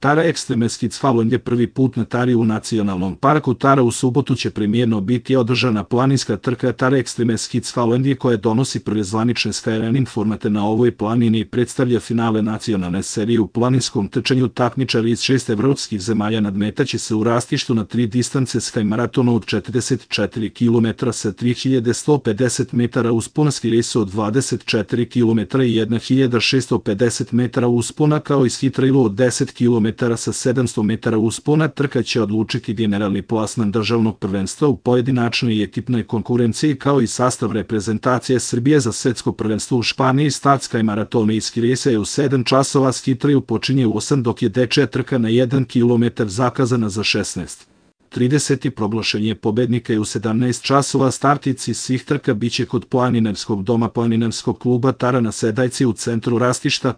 Tara Extreme Skids Falun je prvi put na Tari u nacionalnom parku Tara. U subotu će premijerno biti održana planinska trka Tara Extreme Skids Falun koja donosi prve zvanične sferen formate na ovoj planini i predstavlja finale nacionalne serije u planinskom trčanju. Takmičari iz 6 evropskih zemalja nadmetaće se u rastištu na 3 distance Sky maratonu od 44 km sa 3150 metara usponski rejs od 24 km i 1650 metara uspona, kao i ski trailu od 10 km sa 700 metara uspona. Trka će odlučiti generalni plasman državnog prvenstva u pojedinačnoj i ekipnoj konkurenciji, kao i sastav reprezentacije Srbije za svetsko prvenstvo u Španiji. Start Sky maratona i ski rejsa je u 7 časova, ski trail počinje u 8, dok je dečija trka na 1 km zakazana za 16:30. Proglašenje pobednika je u 17 časova. Startici svih trka biće kod planinarskog doma planinarskog kluba Tara na Sedajci u centru Rastišta.